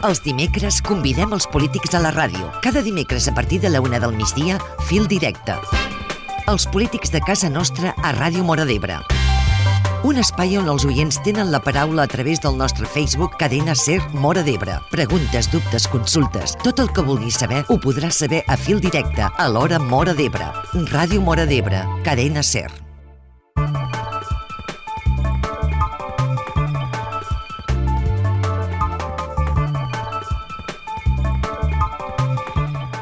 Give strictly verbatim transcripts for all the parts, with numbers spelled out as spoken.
Els dimecres convidem els polítics a la ràdio. Cada dimecres a partir de la una del migdia, Fil Directe. Els polítics de casa nostra a Ràdio Móra d'Ebre. Un espai on els oients tenen la paraula a través del nostre Facebook Cadena Ser Móra d'Ebre. Preguntes, dubtes, consultes. Tot el que vulguis saber ho podràs saber a Fil Directe, a l'hora Móra d'Ebre. Ràdio Móra d'Ebre, Cadena Ser.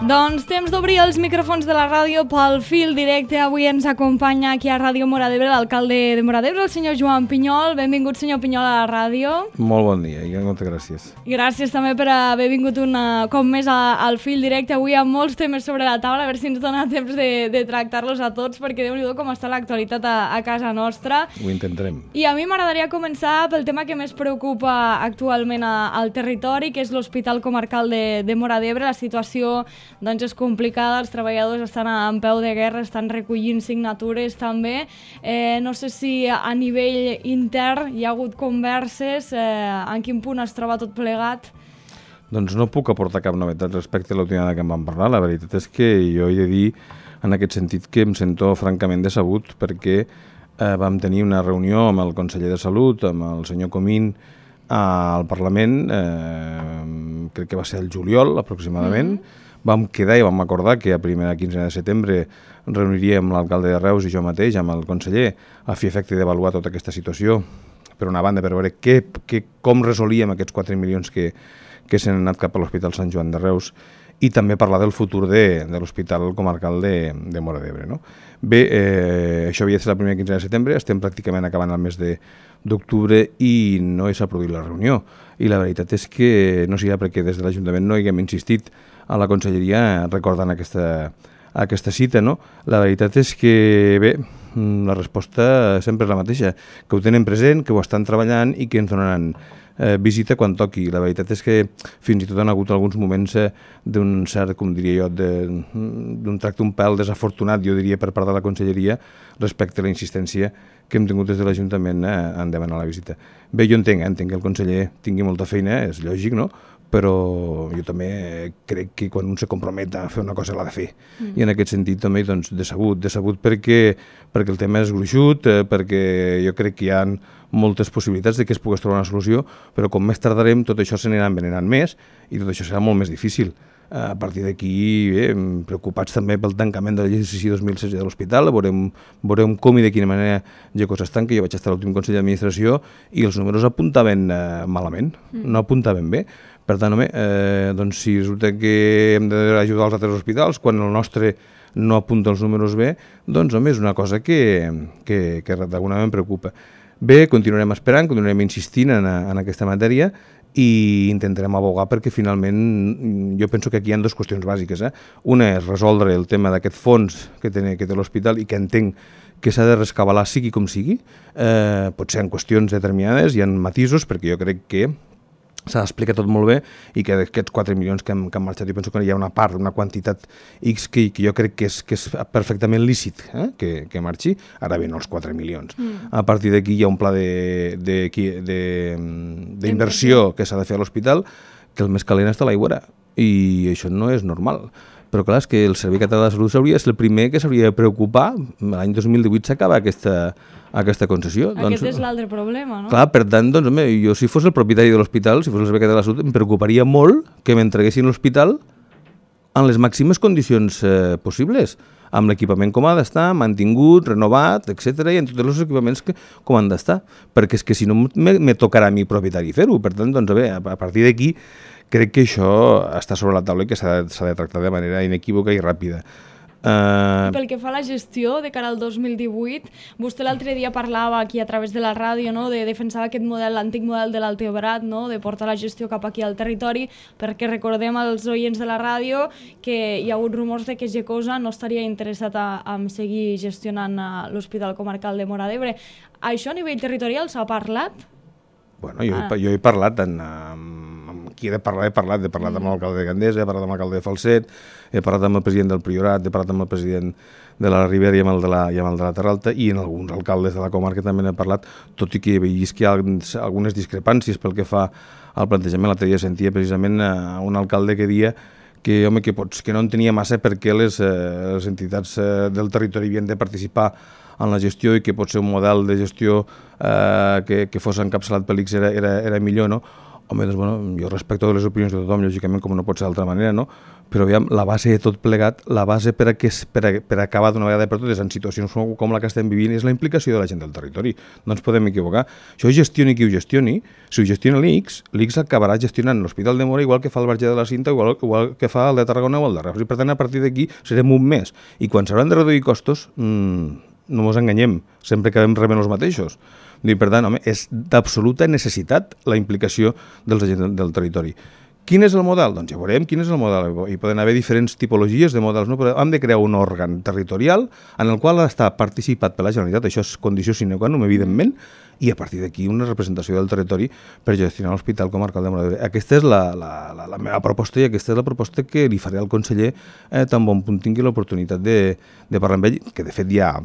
Doncs temps d'obrir els micròfons de la ràdio pel Fil Directe. Avui ens acompanya aquí a Ràdio Móra d'Ebre l'alcalde de Móra d'Ebre, el senyor Joan Pinyol. Benvingut, senyor Pinyol, a la ràdio. Molt bon dia i moltes gràcies. Gràcies també per haver vingut un cop més a, al Fil Directe. Avui hi ha molts temes sobre la taula, a veure si ens dona temps de, de tractar-los a tots, perquè Déu-n'hi-do com està l'actualitat a, a casa nostra. Ho intentarem. I a mi m'agradaria començar pel tema que més preocupa actualment a, al territori, que és l'Hospital Comarcal de, de Móra d'Ebre. La situació doncs, és complicada, els treballadors estan en peu de guerra, estan recollint signatures també. Eh, no sé si a nivell intern hi ha hagut converses, eh, en quin punt es troba tot plegat? Doncs no puc aportar cap novetat respecte a l'última vegada que em van parlar. La veritat és que jo he de dir en aquest sentit que em sento francament decebut perquè eh, vam tenir una reunió amb el conseller de Salut, amb el senyor Comín, al Parlament, eh, crec que va ser el juliol aproximadament. Mm-hmm. Vam quedar i vam acordar que a primera quinzena de setembre reuniríem l'alcalde de Reus i jo mateix amb el conseller a fi efecte d'avaluar tota aquesta situació. Per una banda, per veure què, què, com resolíem aquests quatre milions que, que s'han anat cap a l'Hospital Sant Joan de Reus i també parlar del futur de, de l'Hospital Comarcal de, de Móra d'Ebre. No? Bé, eh, això havia de ser la primera quinzena de setembre, estem pràcticament acabant el mes de d'octubre i no s'ha produït la reunió. I la veritat és que no sigui perquè des de l'Ajuntament no hi haguem insistit a la conselleria recordant aquesta, aquesta cita, no? La veritat és que, bé, la resposta sempre és la mateixa, que ho tenen present, que ho estan treballant i que ens donaran eh, visita quan toqui. La veritat és que fins i tot han hagut alguns moments eh, d'un cert, com diria jo, d'un tracte un pèl desafortunat, jo diria, per part de la conselleria respecte a la insistència que hem tingut des de l'Ajuntament eh, en demanar la visita. Bé, jo entenc, eh, entenc que el conseller tingui molta feina, és lògic, no?, però jo també crec que quan un se compromet a fer una cosa l'ha de fer. Mm. I en aquest sentit també doncs, decebut, decebut perquè, perquè el tema és gruixut, eh, perquè jo crec que hi ha moltes possibilitats de que es pogués trobar una solució, però com més tardarem tot això s'anirà envenenant més i tot això serà molt més difícil. A partir d'aquí, eh, preocupats també pel tancament de l'exercici dos mil setze de l'hospital, veurem, veurem com i de quina manera Geco s'estanca. Jo vaig estar a l'últim Consell d'Administració i els números apuntaven eh, malament, mm. no apuntaven bé. Per tant, home, eh, doncs si resulta que hem d'ajudar els altres hospitals quan el nostre no apunta els números bé, doncs home, és una cosa que, que, que d'alguna manera em preocupa. Bé, continuarem esperant, continuarem insistint en, en aquesta matèria i intentarem abogar perquè finalment jo penso que aquí hi ha dues qüestions bàsiques. Eh? Una és resoldre el tema d'aquest fons que té, que té l'hospital i que entenc que s'ha de rescabalar sigui com sigui, eh, potser en qüestions determinades, hi ha matisos perquè jo crec que s'ha d'explicar tot molt bé i que d'aquests quatre milions que han, que han marxat jo penso que hi ha una part, una quantitat X que, que jo crec que és, que és perfectament lícit eh? que, que marxi, ara bé no els quatre milions. Mm. A partir d'aquí hi ha un pla d'inversió que s'ha de fer a l'hospital que el més calent està a l'aigüera i això no és normal. Però clar, és que el Servei Català de Salut s'hauria de ser el primer que s'hauria de preocupar. L'any dos mil divuit s'acaba aquesta, aquesta concessió. Aquest doncs, és l'altre problema, no? Clar, per tant, doncs, home, jo si fos el propietari de l'hospital, si fos el Servei Català de la Salut, em preocuparia molt que m'entreguessin l'hospital en les màximes condicions eh, possibles, amb l'equipament com ha d'estar, mantingut, renovat, etcètera, i en tots els equipaments que, com han d'estar. Perquè és que si no me, me tocarà a mi propietari fer-ho. Per tant, doncs, a, bé, a partir d'aquí crec que això està sobre la taula i que s'ha de, s'ha de tractar de manera inequívoca i ràpida. Uh... Pel que fa a la gestió de cara al dos mil divuit, vostè l'altre dia parlava aquí a través de la ràdio, no?, de defensar aquest model, l'antic model de l'Alteobrat, no?, de portar la gestió cap aquí al territori, perquè recordem als oients de la ràdio que hi ha hagut rumors de que Gecosa no estaria interessat a, a seguir gestionant l'Hospital Comarcal de Móra d'Ebre. Això a nivell territorial s'ha parlat? Bueno, jo, ah. he, jo he parlat en, amb aquí he de parlar, he parlat, he parlat amb l'alcalde de Gandesa, he parlat amb l'alcalde de Falset, he parlat amb el president del Priorat, he parlat amb el president de la Ribera i amb el de la, i amb el de la Terra Alta, i en alguns alcaldes de la comarca també n'he parlat, tot i que he vist que hi ha algunes discrepàncies pel que fa al plantejament. L'altre dia sentia precisament un alcalde que deia que, home, que, pots, que no entenia massa perquè les, eh, les entitats eh, del territori havien de participar en la gestió i que potser un model de gestió eh, que, que fos encapçalat per l'I C S era, era, era millor, no? Home, doncs, bueno, jo respecto les opinions de tothom, lògicament, com no pot ser d'altra manera, no? Però, aviam, la base de tot plegat, la base per a, que, per a, per a acabar d'una vegada per totes en situacions com, com la que estem vivint és la implicació de la gent del territori. No ens podem equivocar. Això gestioni qui ho gestioni, si ho gestiona l'I C S, l'I C S acabarà gestionant l'Hospital de Móra igual que fa el Verger de la Cinta, igual, igual que fa el de Tarragona o el de Reus. I, per tant, a partir d'aquí serem un mes. I quan s'hauran de reduir costos, mmm, no ens enganyem, sempre acabem rebent els mateixos. I, per tant, home, és d'absoluta necessitat la implicació dels agents del territori. Quin és el model? Doncs ja veurem quin és el model. Hi poden haver diferents tipologies de models, no? Però hem de crear un òrgan territorial en el qual està participat per la Generalitat, això és condició sine qua non, evidentment, i a partir d'aquí una representació del territori per gestionar l'Hospital Comarcal de Móra d'Ebre. Aquesta és la, la, la, la meva proposta i aquesta és la proposta que li faré al conseller eh, tan bon punt tingui l'oportunitat de, de parlar amb ell, que de fet ja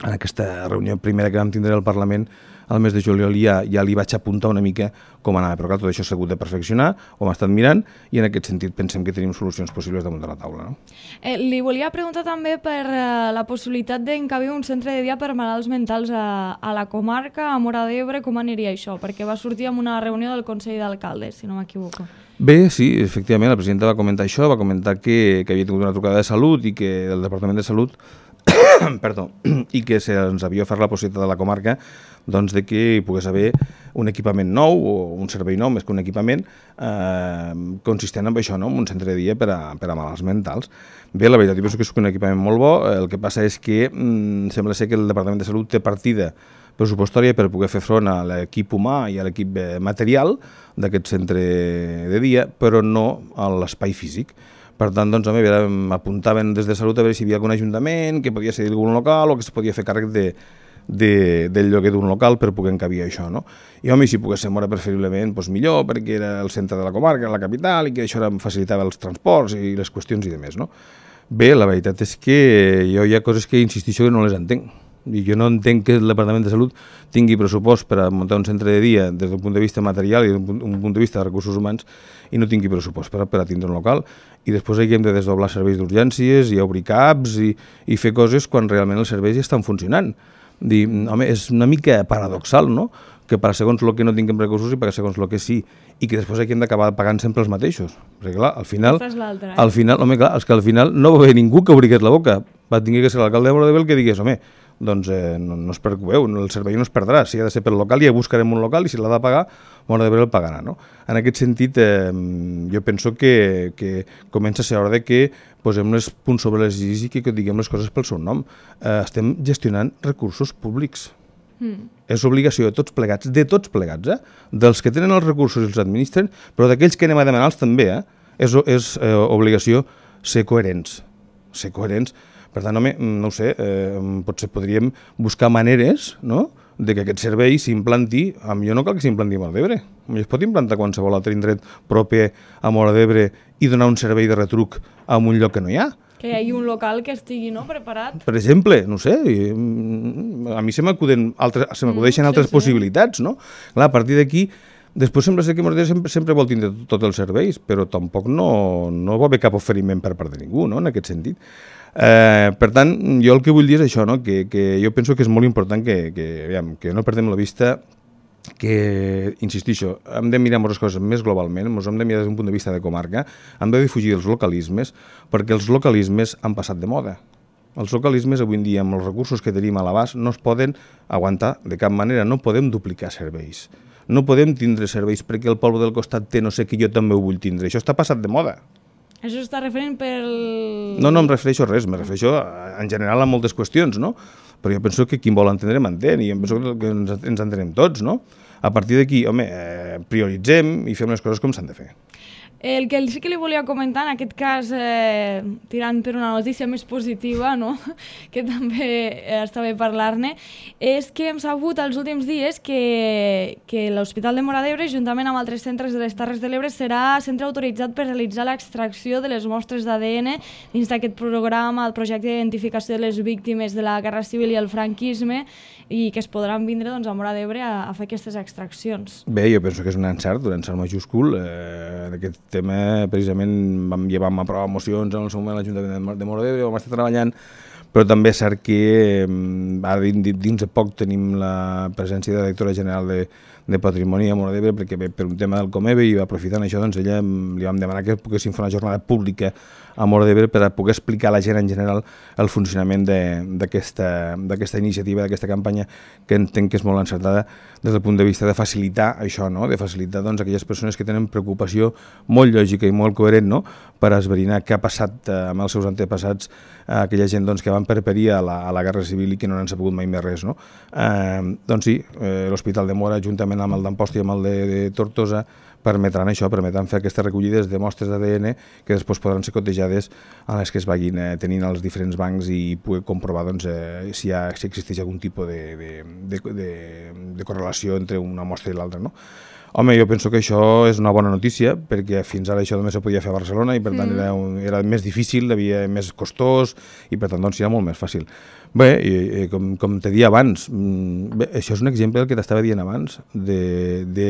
en aquesta reunió primera que vam tindre al Parlament al mes de juliol ja, ja li vaig apuntar una mica com anava, però clar, tot això s'ha hagut de perfeccionar, ho hem estat mirant i en aquest sentit pensem que tenim solucions possibles damunt de la taula. No? Eh, li volia preguntar també per eh, la possibilitat d'encabir un centre de dia per malalts mentals a, a la comarca, a Móra d'Ebre, com aniria això? Perquè va sortir en una reunió del Consell d'Alcaldes, si no m'equivoco. Bé, sí, efectivament, la presidenta va comentar això, va comentar que, que havia tingut una trucada de Salut i que el Departament de Salut perdó, i que se'ns havia ofert la possibilitat de la comarca doncs, de que hi pogués haver un equipament nou o un servei nou, més que un equipament, eh, consistent en això, no? En un centre de dia per a, per a malalts mentals. Bé, la veritat, jo penso que és un equipament molt bo, el que passa és que mm, sembla ser que el Departament de Salut té partida pressupostària per poder fer front a l'equip humà i a l'equip material d'aquest centre de dia, però no a l'espai físic. Per tant, doncs, home, apuntaven des de Salut a veure si hi havia algun ajuntament que podia ser algun local o que es podia fer càrrec de, de, del lloguer d'un local per poder encabir això, no? I, home, si pogués ser Móra preferiblement, doncs millor, perquè era el centre de la comarca, la capital, i que això facilitava els transports i les qüestions i demés, no? Bé, la veritat és que jo hi ha coses que insistixo que no les entenc. I jo no entenc que el Departament de Salut tingui pressupost per a muntar un centre de dia des d'un punt de vista material i d'un punt, un punt de vista de recursos humans i no tingui pressupost per a, per a tindre un local i després aquí hem de desdoblar serveis d'urgències i obrir caps i, i fer coses quan realment els serveis ja estan funcionant. Dir, home, és una mica paradoxal, no?, que per segons el que no tinguem recursos i per segons el que sí, i que després aquí hem d'acabar pagant sempre els mateixos. Perquè clar, al final, eh? al final, home, clar, és que al final no va haver ningú que obrigués la boca, va tenir que ser l'alcalde de Móra d'Ebre el que digués, home, doncs eh, no, no us preocupeu, el servei no es perdrà, si ha de ser pel local ja buscarem un local i si l'ha de pagar, Móra d'Ebre el pagarà, no? En aquest sentit, eh, jo penso que, que comença a ser hora de que posem els punts sobre les is i que, que diguem les coses pel seu nom. Eh, estem gestionant recursos públics. Mm. És obligació de tots plegats, de tots plegats, eh? Dels que tenen els recursos i els administren, però d'aquells que anem a demanar-los també, eh? És, és eh, obligació ser coherents, ser coherents. Per tant, home, no ho sé, eh, potser podríem buscar maneres, no?, de que aquest servei s'implanti, a millor no cal que s'implanti a Móra d'Ebre. Es pot implantar qualsevol altre indret proper a Móra d'Ebre i donar un servei de retruc a un lloc que no hi ha. Que hi hagi un local que estigui, no?, preparat. Per exemple, no sé, a mi se m'acudeixen altres, se m'acudeixen altres mm, sí, possibilitats, no? Clar, a partir d'aquí, després sembla ser que Móra d'Ebre sempre, sempre vol tindre tots els serveis, però tampoc no, no va haver cap oferiment per part de ningú, no?, en aquest sentit. Eh, per tant, jo el que vull dir és això, no? que, que jo penso que és molt important que, que, aviam, que no perdem la vista, que, insistixo, hem de mirar moltes coses més globalment, ens hem de mirar des d'un punt de vista de comarca, hem de defugir els localismes, perquè els localismes han passat de moda. Els localismes avui en dia, amb els recursos que tenim a l'abast, no es poden aguantar de cap manera, no podem duplicar serveis. No podem tindre serveis perquè el poble del costat té no sé què, jo també ho vull tindre. Això està passat de moda. Això està referent pel... No, no em refereixo a res, me refereixo a, en general a moltes qüestions, no? Però jo penso que qui vol entendre m'entén i jo penso que ens, ens entenem tots, no? A partir d'aquí, home, eh, prioritzem i fem les coses com s'han de fer. El que sí que li volia comentar, en aquest cas, eh, tirant per una notícia més positiva, no? Que també eh, està bé parlar-ne, és que hem sabut els últims dies que, que l'Hospital de Móra d'Ebre, juntament amb altres centres de les Terres de l'Ebre, serà centre autoritzat per realitzar l'extracció de les mostres d'A D N dins d'aquest programa, el projecte d'identificació de les víctimes de la Guerra Civil i el franquisme, i que es podran vindre doncs, a Móra d'Ebre a, a fer aquestes extraccions. Bé, jo penso que és un encert, un encert majúscul. Eh, en aquest tema, precisament, vam, ja vam aprovar mocions en el seu moment a l'Ajuntament de Móra d'Ebre, vam estar treballant, però també és cert que ara dins de poc tenim la presència de la directora general de, de Patrimoni a Móra d'Ebre, perquè per un tema del Comebe, i aprofitant això, doncs ella li vam demanar que poguéssim fer una jornada pública a Móra d'Ebre per a poder explicar a la gent en general el funcionament d'aquesta iniciativa, d'aquesta campanya, que entenc que és molt encertada des del punt de vista de facilitar això, no? De facilitar doncs, aquelles persones que tenen preocupació molt lògica i molt coherent, no? Per esbrinar què ha passat eh, amb els seus antepassats, eh, aquella gent doncs, que van perperir a la, a la Guerra Civil i que no n'han sabut mai més res. No? Eh, doncs sí, eh, l'Hospital de Móra, juntament amb el d'Amposta i amb el de, de Tortosa, permetran això, permetran fer aquestes recollides de mostres d'A D N que després podran ser cotejades a les que es vagin eh, tenint als diferents bancs i poder comprovar doncs, eh, si, ha, si existeix algun tipus de, de, de, de, de correlació entre una mostra i l'altra. No? Home, jo penso que això és una bona notícia, perquè fins ara això només se podia fer a Barcelona i per tant mm. era, un, era més difícil, havia més costós i per tant doncs, era molt més fàcil. Bé, i, i, com, com te dia abans, bé, això és un exemple del que t'estava dient abans, de, de,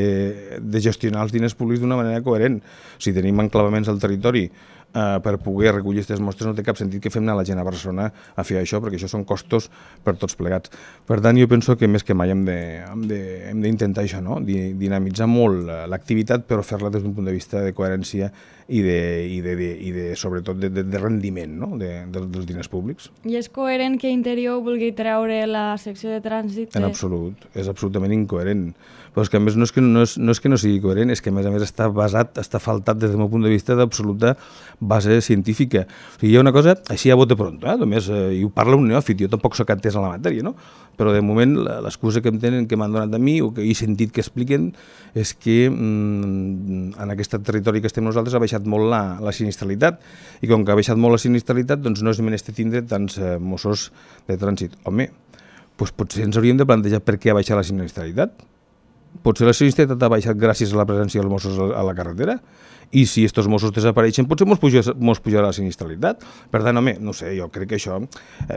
de gestionar els diners públics d'una manera coherent. Si tenim enclavaments al territori Uh, per poder recollir aquestes mostres, no té cap sentit que fem anar la gent a Barcelona a fer això, perquè això són costos per tots plegats. Per tant, jo penso que més que mai hem d'intentar això, no? Dinamitzar molt l'activitat, però fer-la des d'un punt de vista de coherència i, de, i, de, de, i de, sobretot de, de, de rendiment, no? de, de, dels diners públics. I és coherent que Interior vulgui treure la secció de trànsit? De... En absolut, és absolutament incoherent. Però és que a més no és que no, és, no és que no sigui coherent, és que a més a més està basat, està faltat des del meu punt de vista d'absoluta base científica. O sigui, hi ha una cosa, així a bote pronto, eh? Només, eh, i ho parla un neòfit, jo tampoc soc entès en la matèria, no? Però de moment l'excusa que em tenen, que m'han donat a mi, o que he sentit que expliquen, és que mm, en aquest territori que estem nosaltres ha baixat molt la, la sinistralitat, i com que ha baixat molt la sinistralitat, doncs no és menester tindre tants eh, Mossos de trànsit. Home, doncs potser ens hauríem de plantejar per què ha baixat la sinistralitat. Potser la sinistralitat ha baixat gràcies a la presència dels Mossos a la carretera, i si aquests Mossos desapareixen potser mos pujarà, mos pujarà la sinistralitat. Per tant, home, no sé, jo crec que això...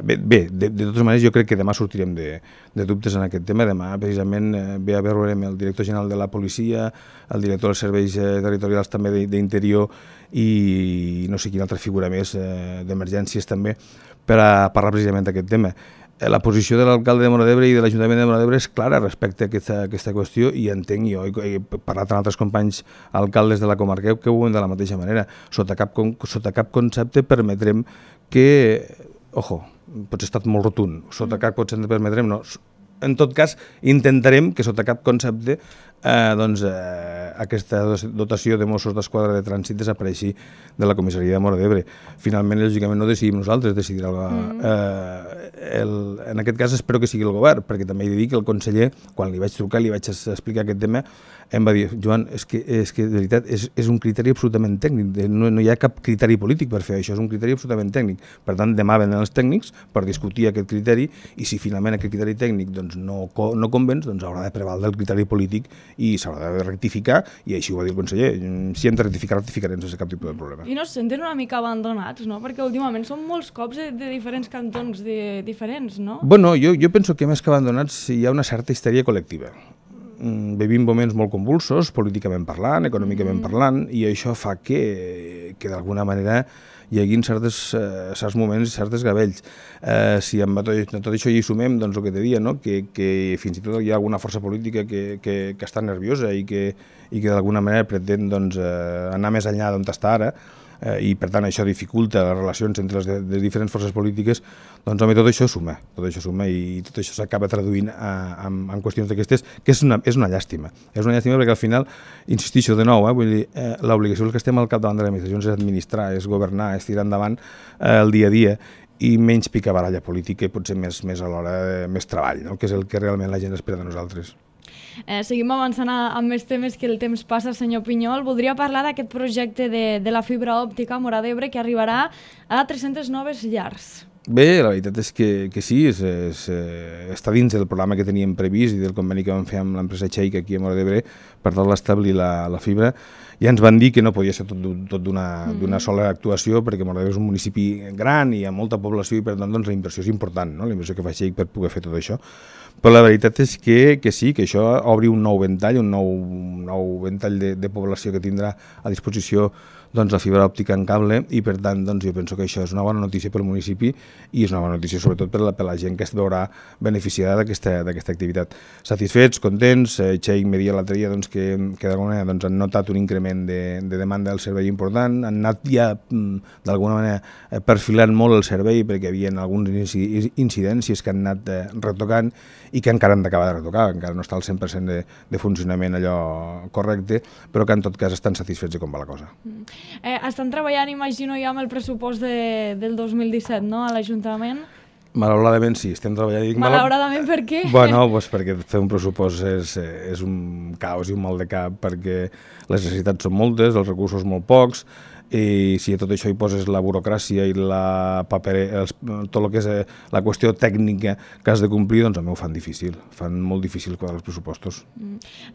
Bé, bé de, de totes maneres, jo crec que demà sortirem de, de dubtes en aquest tema. Demà, precisament, ve a veure amb el director general de la policia, el director dels serveis territorials també d'Interior i no sé quina altra figura més, d'emergències també, per a parlar precisament d'aquest tema. La posició de l'alcalde de Móra d'Ebre i de l'Ajuntament de Móra d'Ebre és clara respecte a aquesta, aquesta qüestió, i entenc jo, he parlat amb altres companys alcaldes de la comarca que ho veuen de la mateixa manera. Sota cap, sota cap concepte permetrem que, ojo, potser ha estat molt rotund, sota cap concepte permetrem, no, en tot cas intentarem que sota cap concepte eh, doncs, eh, aquesta dotació de Mossos d'Esquadra de trànsit desapareixi de la comissaria de Móra d'Ebre. Finalment, lògicament, no decidim nosaltres, decidirà el, mm. eh, el, en aquest cas espero que sigui el govern, perquè també he de dir que el conseller, quan li vaig trucar, li vaig explicar aquest tema, em va dir, Joan, és que, és que de veritat és, és un criteri absolutament tècnic, no, no hi ha cap criteri polític per fer això, és un criteri absolutament tècnic. Per tant, demà venen els tècnics per discutir aquest criteri, i si finalment aquest criteri tècnic doncs, no, no convenç, doncs haurà de prevaldre el criteri polític i s'haurà de rectificar, i així ho va dir el conseller. Si hem de rectificar, rectificarem sense cap tipus de problema. I no es senten una mica abandonats, no? Perquè últimament són molts cops de, de diferents cantons de, diferents, no? Bueno, jo, jo penso que més que abandonats hi ha una certa histèria col·lectiva. Vivim moments molt convulsos, políticament parlant, econòmicament mm. parlant, i això fa que, que d'alguna manera hi hagi certes, eh, certs moments i certes gavells. Eh, si amb tot, tot això hi sumem, doncs el que te dia, no? que, que fins i tot hi ha alguna força política que, que, que està nerviosa i que, i que d'alguna manera pretén doncs, eh, anar més enllà d'on està ara, eh, i per tant això dificulta les relacions entre les, de, les diferents forces polítiques, doncs home, tot això suma, tot això suma i tot això s'acaba traduint a, a, en qüestions d'aquestes, que és una, és una llàstima. És una llàstima perquè al final, insistixo de nou, eh, vull dir, eh, l'obligació dels que estem al capdavant de l'administració és administrar, és governar, és tirar endavant eh, el dia a dia, i menys picabaralla política i potser més, més alhora eh, més treball, no? Que és el que realment la gent espera de nosaltres. Eh, seguim avançant amb més temes que el temps passa, senyor Pinyol. Voldria parlar d'aquest projecte de, de la fibra òptica a Móra d'Ebre que arribarà a tres-centes noves llars. Bé, la veritat és que, que sí, és, és, està dins del programa que teníem previst i del conveni que vam fer amb l'empresa Cheik aquí a Móra d'Ebre per tal d'establir la, la fibra. Ja ens van dir que no podia ser tot, tot d'una mm. sola actuació perquè Móra d'Ebre és un municipi gran i amb molta població i per tant doncs, la inversió és important, no? La inversió que fa Cheik per poder fer tot això. Però la veritat és que, que sí, que això obri un nou ventall, un nou, un nou ventall de, de població que tindrà a disposició doncs, la fibra òptica en cable i per tant doncs, jo penso que això és una bona notícia pel municipi i és una bona notícia sobretot per la, per la gent que es veurà beneficiada d'aquesta activitat. Satisfets, contents, eh, Cheik me dia l'altre dia doncs, que, que d'alguna manera doncs, han notat un increment de, de demanda del servei important, han anat ja d'alguna manera perfilant molt el servei perquè hi havia algunes incidències que han anat eh, retocant i que encara han d'acabar de retocar, encara no està al cent per cent de, de funcionament allò correcte, però que en tot cas estan satisfets de com va la cosa. Mm. Eh, estan treballant, imagino, ja amb el pressupost de, del dos mil disset, no?, a l'Ajuntament? Malauradament sí, estem treballant. Dic, Malauradament per què? Bueno, pues perquè fer un pressupost és, és un caos i un mal de cap perquè les necessitats són moltes, els recursos molt pocs, i si a tot això hi poses la burocràcia i la papere, els, tot el que és la qüestió tècnica que has de complir, doncs a mi ho fan difícil, fan molt difícil quadrar els pressupostos.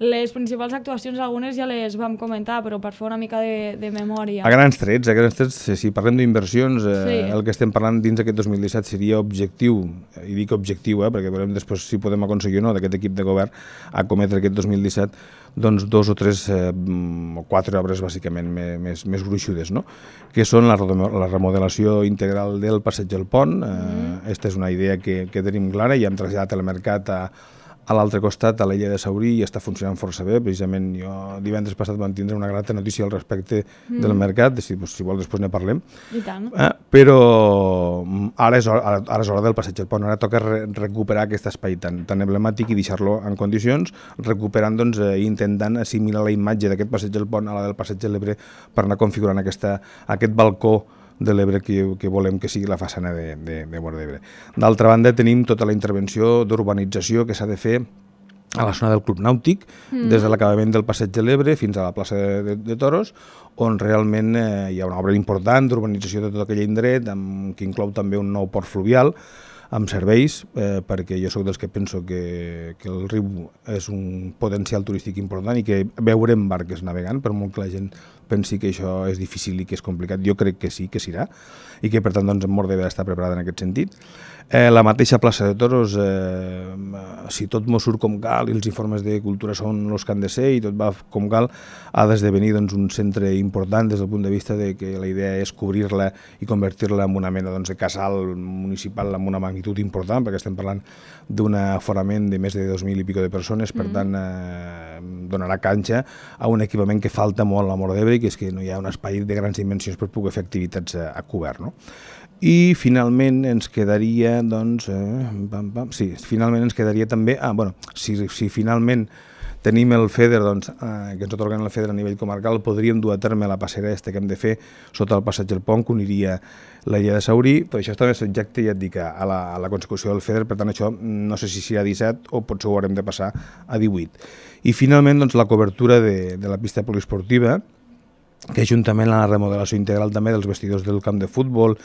Les principals actuacions, algunes ja les vam comentar, però per fer una mica de, de memòria. A grans trets, a grans trets, si parlem d'inversions, eh, sí. el que estem parlant dins d'aquest dos mil disset seria objectiu, i dic objectiu, eh, perquè veurem després si podem aconseguir o no d'aquest equip de govern acometre aquest dos mil disset, doncs dos o tres eh, o quatre obres bàsicament més, més gruixudes, no? Que són la, la remodelació integral del passeig del Pont. Eh, esta és una idea que, que tenim clara i hem traslladat el mercat a, a l'altre costat, a l'illa de Saurí, i està funcionant força bé. Precisament jo divendres passat vam tindre una grata notícia al respecte mm. del mercat, si, si vol després ne parlem. I tant. Eh, però ara és, hora, ara és hora del passeig del Pont, ara toca re recuperar aquest espai tan, tan emblemàtic i deixar-lo en condicions, recuperant, doncs, eh, intentant assimilar la imatge d'aquest passeig del Pont a la del passeig de l'Ebre per anar configurant aquesta, aquest balcó de l'Ebre que, que volem que sigui la façana de, de, de Móra d'Ebre. D'altra banda, tenim tota la intervenció d'urbanització que s'ha de fer a la zona del Club Nàutic, mm. des de l'acabament del passeig de l'Ebre fins a la plaça de, de, de Toros, on realment eh, hi ha una obra important d'urbanització de tot aquell indret, amb, que inclou també un nou port fluvial, amb serveis, eh, perquè jo sóc dels que penso que, que el riu és un potencial turístic important i que veurem barques navegant, per molt que la gent pensi que això és difícil i que és complicat. Jo crec que sí, que serà, i que per tant doncs, Móra d'Ebre està preparada en aquest sentit. Eh, la mateixa plaça de Toros, eh, si tot mos surt com cal i els informes de cultura són els que han de ser i tot va com cal, ha d'esdevenir doncs, un centre important des del punt de vista de que la idea és cobrir-la i convertir-la en una mena doncs, de casal municipal amb una magnitud important, perquè estem parlant d'un aforament de més de dos mil i pico de persones, per tant eh, donarà canxa a un equipament que falta molt a Móra d'Ebre, que és que no hi ha un espai de grans dimensions per poder fer activitats a, a cobert, no? I finalment ens quedaria, doncs, eh, pam, pam, sí, finalment ens quedaria també, ah, bueno, si, si finalment tenim el FEDER, doncs, eh, que ens atorguen el FEDER a nivell comarcal, podríem dur a terme la passera aquesta que hem de fer sota el passeig del Pont, que uniria la illa de Saurí, però això també és subjecte, ja et dic, a la, a la consecució del FEDER, per tant això no sé si serà disset o potser ho haurem de passar a divuit. I finalment, doncs, la cobertura de, de la pista poliesportiva, que juntament a la remodelació integral també dels vestidors del camp de futbol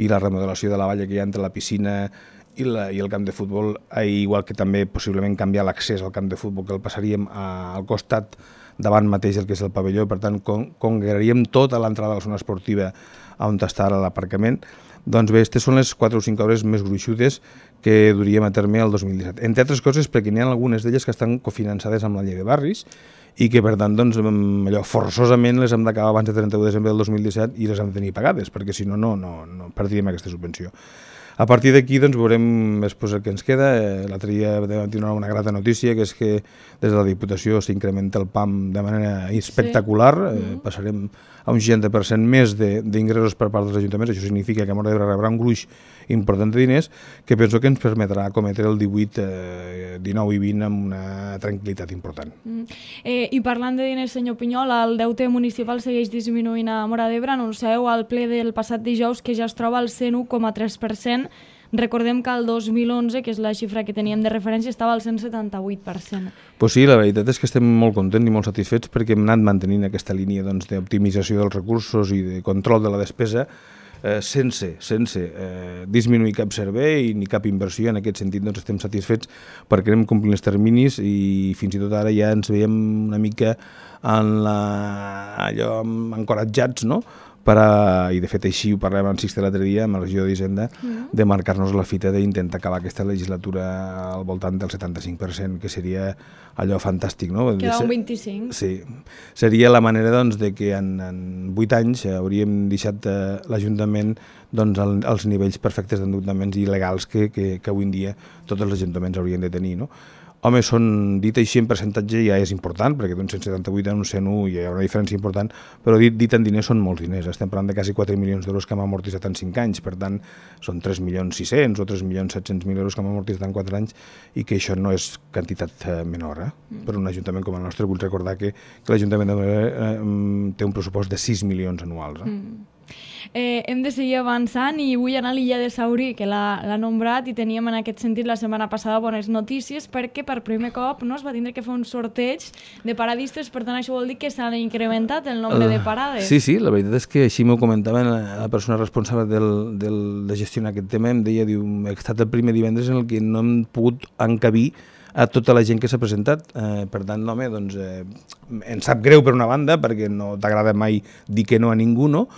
i la remodelació de la valla que hi ha entre la piscina i, la, i el camp de futbol, igual que també possiblement canviar l'accés al camp de futbol, que el passaríem a, al costat davant mateix del que és el pavelló, per tant con, congregaríem tota l'entrada de la zona esportiva on està ara l'aparcament. Doncs bé, aquestes són les quatre o cinc obres més gruixudes que duríem a terme el dos mil disset. Entre altres coses perquè n'hi ha algunes d'elles que estan cofinançades amb la llei de barris i que per tant doncs, allò, forçosament les hem d'acabar abans de trenta-u de desembre del dos mil disset i les hem de tenir pagades, perquè si no, no, no, no perdríem aquesta subvenció. A partir d'aquí doncs, veurem després el que ens queda. L'altre dia vam tenir una grata notícia, que és que des de la Diputació s'incrementa el P A M de manera espectacular. Sí. Eh, passarem a un seixanta per cent més d'ingressos per part dels ajuntaments. Això significa que Móra d'Ebre rebrà un gruix important de diners que penso que ens permetrà cometre el divuit, eh, dinou i vint amb una tranquil·litat important. Mm. Eh, I parlant de diners, senyor Pinyol, el deute municipal segueix disminuint a Móra d'Ebre. Anuncieu al ple del passat dijous que ja es troba al cent u coma tres per cent Recordem que el dos mil onze, que és la xifra que teníem de referència, estava al cent setanta-vuit per cent. Pues sí, la veritat és que estem molt contents i molt satisfets perquè hem anat mantenint aquesta línia doncs, d'optimització dels recursos i de control de la despesa eh, sense, sense eh, disminuir cap servei ni cap inversió. En aquest sentit doncs, estem satisfets perquè anem complint els terminis i fins i tot ara ja ens veiem una mica en la, allò encoratjats, no? Per a, i de fet així ho parlem amb Sixte l'altre dia, amb el regidor d'Hisenda, mm. de marcar-nos la fita d'intentar acabar aquesta legislatura al voltant del setanta-cinc per cent, que seria allò fantàstic, no? Queda un vint-i-cinc. Sí, seria la manera doncs, de que en, en vuit anys hauríem deixat eh, l'Ajuntament doncs, al, als nivells perfectes d'endeutaments i legals que, que, que avui en dia tots els ajuntaments haurien de tenir, no? Home, són, dit així en percentatge ja és important, perquè d'un cent setanta-vuit a un cent u hi ha una diferència important, però dit, dit en diners són molts diners. Estem parlant de quasi quatre milions d'euros que hem amortitzat en cinc anys, per tant, són tres milions sis-cents o tres milions set-cents mil euros que hem amortitzat en quatre anys i que això no és quantitat menor. Eh? Mm. Per un ajuntament com el nostre, vull recordar que, que l'Ajuntament de eh, té un pressupost de sis milions anuals. Eh? Mm. Eh, hem de seguir avançant i vull anar a l'illa de Saurí, que l'ha nombrat, i teníem en aquest sentit la setmana passada bones notícies perquè per primer cop no es va tindre que fer un sorteig de paradistes, per tant això vol dir que s'han incrementat el nombre uh, de parades. Sí, sí, la veritat és que així m'ho comentava la, la persona responsable del, del, de gestionar aquest tema, em deia, diu, he estat el primer divendres en el que no hem pogut encabir a tota la gent que s'ha presentat. Eh, per tant, home, doncs, eh, ens sap greu per una banda, perquè no t'agrada mai dir que no a ningú, no?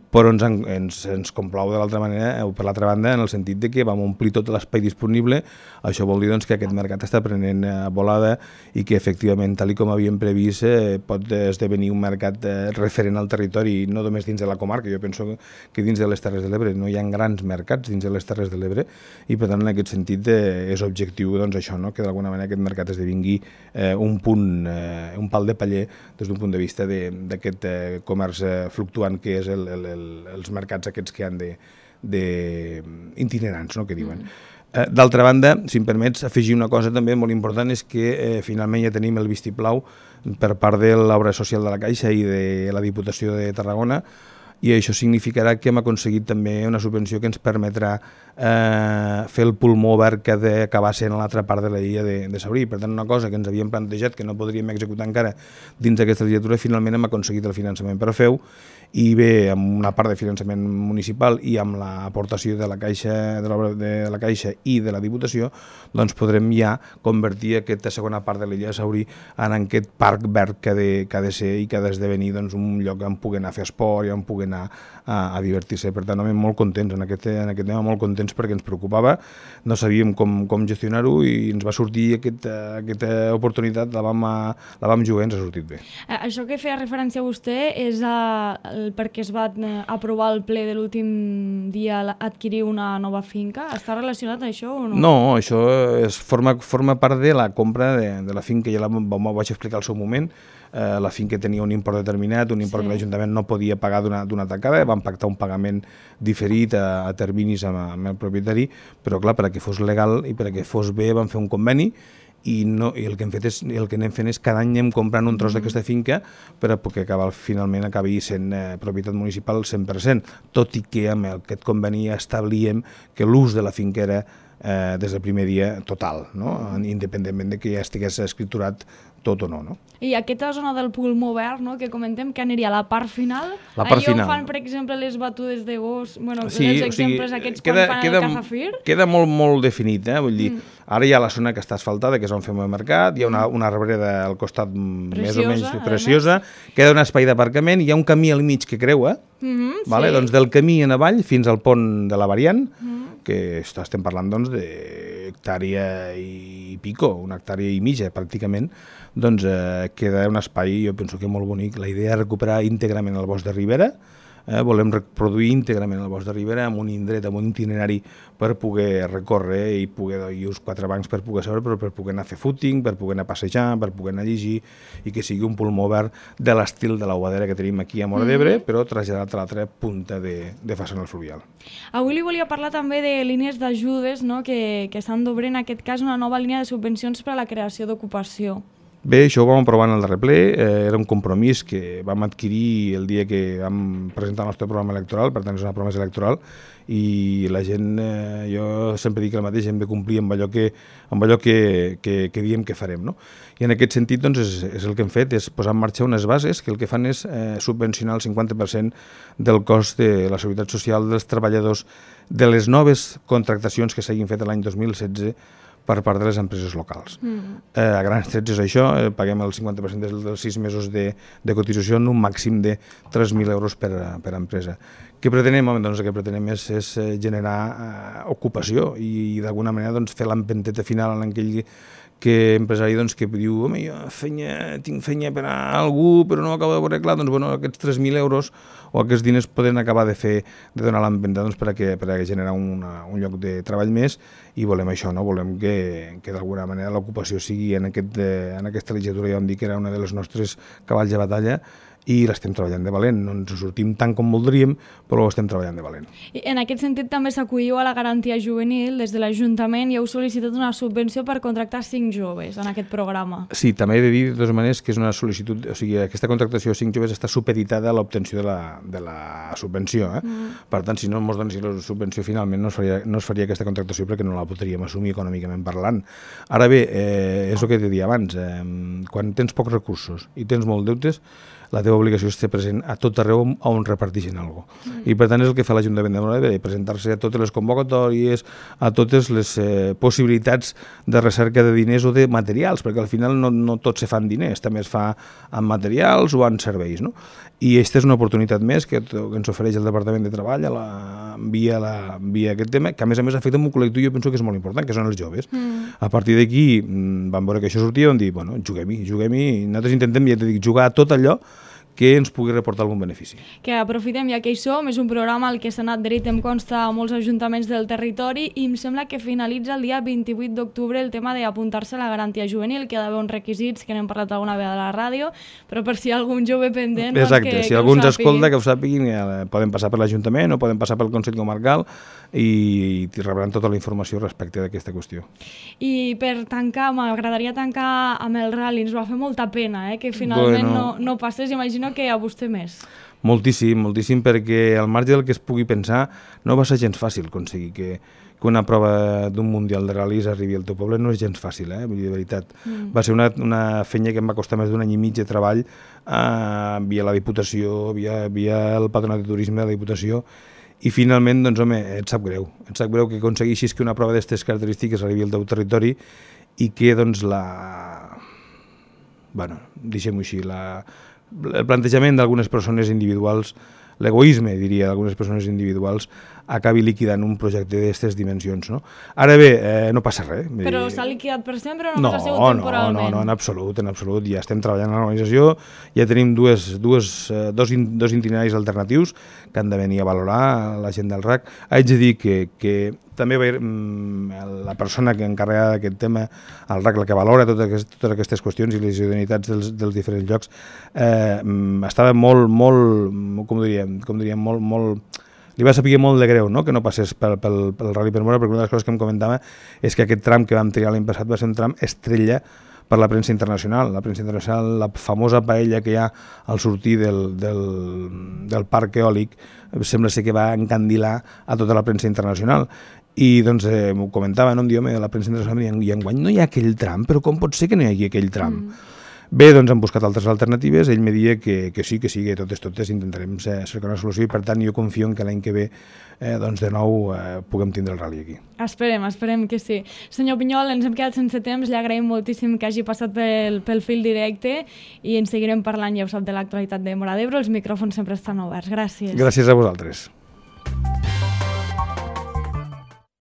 Però ens, ens, ens complau de l'altra manera, o per l'altra banda, en el sentit de que vam omplir tot l'espai disponible. Això vol dir doncs, que aquest mercat està prenent eh, volada i que efectivament, tal com havíem previst, eh, pot esdevenir un mercat eh, referent al territori, no només dins de la comarca. Jo penso que dins de les Terres de l'Ebre no hi ha grans mercats dins de les Terres de l'Ebre i per tant en aquest sentit eh, és objectiu doncs, això, no? Que d'alguna manera aquest mercat esdevingui eh, un punt, eh, un pal de paller des d'un punt de vista d'aquest eh, comerç eh, fluctuant que és el, el els mercats aquests que han de, de itinerants, no?, que diuen. Mm. Eh, D'altra banda, si em permets afegir una cosa també molt important, és que eh, finalment ja tenim el vistiplau per part de l'obra social de la Caixa i de la Diputació de Tarragona, i això significarà que hem aconseguit també una subvenció que ens permetrà eh, fer el pulmó verd que ha d'acabar sent a l'altra part de la illa de, de Saurí. Per tant, una cosa que ens havíem plantejat que no podríem executar encara dins d'aquesta legislatura, finalment hem aconseguit el finançament per a fer-ho, i bé, amb una part de finançament municipal i amb l'aportació de la Caixa de, l'obra de la Caixa i de la Diputació, doncs podrem ja convertir aquesta segona part de l'illa de Saurí en aquest parc verd que ha de, que ha de ser i que ha d'esdevenir doncs, un lloc on pugui anar a fer esport i on pugui anar a, a divertir-se. Per tant, molt contents en aquest, en aquest tema, molt contents perquè ens preocupava, no sabíem com, com gestionar-ho i ens va sortir aquest, aquesta oportunitat, la vam, la vam jugar i ens ha sortit bé. Això que feia referència a vostè és a, perquè es va aprovar el ple de l'últim dia adquirir una nova finca. Està relacionat això o no? No, això és, forma, forma part de la compra de, de la finca, ja la vaig explicar al seu moment. Eh, la finca tenia un import determinat, un import sí. que l'Ajuntament no podia pagar d'una tacada, vam pactar un pagament diferit a, a terminis amb, amb el propietari, però clar, perquè fos legal i perquè fos bé vam fer un conveni i, no, i el que hem fet és, el que anem fent és cada any anem comprant un tros mm. d'aquesta finca per a que acabar, finalment acabi sent eh, propietat municipal al cent per cent, tot i que amb aquest conveni establíem que l'ús de la finca era eh, des del primer dia total, no? Independentment de que ja estigués escriturat tot o no, no? I aquesta zona del pulmó verd, no?, que comentem, que aniria a la part final? La part Allò final. Fan, per exemple, les batudes de gos, bueno, sí, els exemples o sigui, aquests queda, quan fan queda, el Cazafir? Queda molt, molt definit, eh? Vull dir, mm. ara hi ha la zona que està asfaltada, que és on fem el mercat, hi ha una, una arbreda al costat preciosa, més o menys preciosa, queda un espai d'aparcament, hi ha un camí al mig que creua, mm -hmm, vale? Sí. Doncs del camí en avall fins al pont de la Variant, mm -hmm. que estem parlant doncs, d'hectàrea i pico, una hectàrea i mitja pràcticament, doncs eh, queda un espai, jo penso que molt bonic. La idea és recuperar íntegrament el bosc de Ribera, eh, volem reproduir íntegrament el bosc de Ribera amb un indret, amb un itinerari per poder recórrer i poder i uns quatre bancs per poder seure, però per poder anar a fer footing, per poder anar a passejar, per poder anar a llegir i que sigui un pulmó verd de l'estil de la Bovadera que tenim aquí a Móra d'Ebre, mm. però traslladat a l'altra punta de, de façana fluvial. Avui li volia parlar també de línies d'ajudes, no?, que, que s'han d'obrir, en aquest cas una nova línia de subvencions per a la creació d'ocupació. Bé, això ho vam aprovar en el darrer ple, eh, era un compromís que vam adquirir el dia que vam presentar el nostre programa electoral, per tant és una promesa electoral, i la gent, eh, jo sempre dic el mateix, hem de complir amb allò que, amb allò que, que, que diem que farem, no? I en aquest sentit, doncs, és, és el que hem fet, és posar en marxa unes bases que el que fan és eh, subvencionar el cinquanta per cent del cost de la seguretat social dels treballadors de les noves contractacions que s'hagin fet l'any dos mil setze per part de les empreses locals. Mm. Eh, a grans trets és això, eh, paguem el cinquanta per cent dels, dels sis mesos de, de cotització en un màxim de tres mil euros per, per empresa. Què pretenem? Doncs el que pretenem és, és generar eh, ocupació i, i d'alguna manera doncs, fer l'empenteta final en aquell que empresari doncs, que diu home, jo feina, tinc feina per a algú però no acabo de veure clar, doncs bueno, aquests tres mil euros o aquests diners poden acabar de fer de donar l'empenta doncs, per, a que, per a generar una, un lloc de treball més i volem això, no? Volem que, que d'alguna manera l'ocupació sigui en, aquest, en aquesta legislatura, ja vam dir que era una de les nostres cavalls de batalla i l'estem treballant de valent. No ens sortim tant com voldríem, però ho estem treballant de valent. I en aquest sentit també s'acolliu a la garantia juvenil. Des de l'Ajuntament i heu sol·licitat una subvenció per contractar cinc joves en aquest programa. Sí, també he de dir de totes maneres que és una sol·licitud, o sigui, aquesta contractació de cinc joves està supeditada a l'obtenció de, la, de la subvenció. Eh? Mm. Per tant, si no ens donessin la subvenció finalment no es, faria, no es faria aquesta contractació perquè no la podríem assumir econòmicament parlant. Ara bé, eh, és el que t'he dit abans, eh, quan tens pocs recursos i tens molt deutes, la teva obligació és estar present a tot arreu on reparteixen alguna cosa. Mm. I per tant és el que fa l'Ajuntament de Móra d'Ebre, presentar-se a totes les convocatòries, a totes les eh, possibilitats de recerca de diners o de materials, perquè al final no, no tot se fan diners, també es fa amb materials o amb serveis, no? I aquesta és una oportunitat més que, que ens ofereix el Departament de Treball a la, via, la, via aquest tema, que a més a més afecta un col·lectiu, jo penso que és molt important, que són els joves. Mm. A partir d'aquí vam veure que això sortia i vam dir, bueno, juguem-hi, juguem-hi, i nosaltres intentem, ja t'he dit, jugar a tot allò que ens pugui reportar algun benefici. Que aprofitem, ja que hi som, és un programa al que s'ha anat dret, em consta, a molts ajuntaments del territori i em sembla que finalitza el dia vint-i-vuit d'octubre el tema d'apuntar-se a la garantia juvenil, que hi ha d'haver uns requisits que n'hem parlat alguna vegada a la ràdio, però per si hi ha algun jove pendent... Exacte, doncs que, si que algú ens escolta, que ho sàpiguin, poden passar per l'Ajuntament o poden passar pel Consell Comarcal i, i rebran tota la informació respecte d'aquesta qüestió. I per tancar, m'agradaria tancar amb el rally, ens va fer molta pena, eh, que finalment bueno, no, no passés, imagino que a vostè més. Moltíssim, moltíssim, perquè al marge del que es pugui pensar no va ser gens fàcil aconseguir que, que una prova d'un mundial de ral·lis arribi al teu poble, no és gens fàcil, eh? Vull dir, de veritat. Mm. Va ser una, una feina que em va costar més d'un any i mig de treball eh, via la Diputació, via, via el Patronat de Turisme de la Diputació, i finalment, doncs, home, et sap greu. Et sap greu que aconsegueixis que una prova d'aquestes característiques arribi al teu territori i que, doncs, la... Bueno, deixem-ho així, la... el plantejament d'algunes persones individuals, l'egoisme, diria, d'algunes persones individuals, acabi liquidant un projecte d'aquestes dimensions, no? Ara bé, eh, no passa res. Però s'ha liquidat per sempre o només no, ha sigut temporalment? No, no, no, en absolut, en absolut. Ja estem treballant en l'organització, ja tenim dues, dues, dos, dos itineraris alternatius que han de venir a valorar la gent del R A C. Haig de dir que, que també va ir, la persona que encarrega d'aquest tema, el R A C, la que valora totes aquestes, totes aquestes qüestions i les idoneïtats dels, dels diferents llocs, eh, estava molt, molt, com diríem, com diríem, molt, molt... Li va saber molt de greu, no?, que no passés pel, pel, pel Rally per Móra, perquè una de les coses que em comentava és que aquest tram que vam triar l'any passat va ser un tram estrella per la premsa internacional. La premsa internacional, la famosa paella que hi ha al sortir del, del, del parc eòlic, sembla ser que va encandilar a tota la premsa internacional. I doncs eh, m'ho comentava, no? Em diu, la premsa internacional, i enguany no hi ha aquell tram, però com pot ser que no hi hagi aquell tram? Mm. Bé, doncs hem buscat altres alternatives, ell me deia que, que sí, que sí, que totes, totes intentarem cercar una solució i per tant jo confio en que l'any que ve eh, doncs de nou eh, puguem tindre el rally aquí. Esperem, esperem que sí. Senyor Pinyol, ens hem quedat sense temps, li agraïm moltíssim que hagi passat pel, pel fil directe i ens seguirem parlant, ja ho sap, de l'actualitat de Móra d'Ebre, els micròfons sempre estan oberts. Gràcies. Gràcies a vosaltres.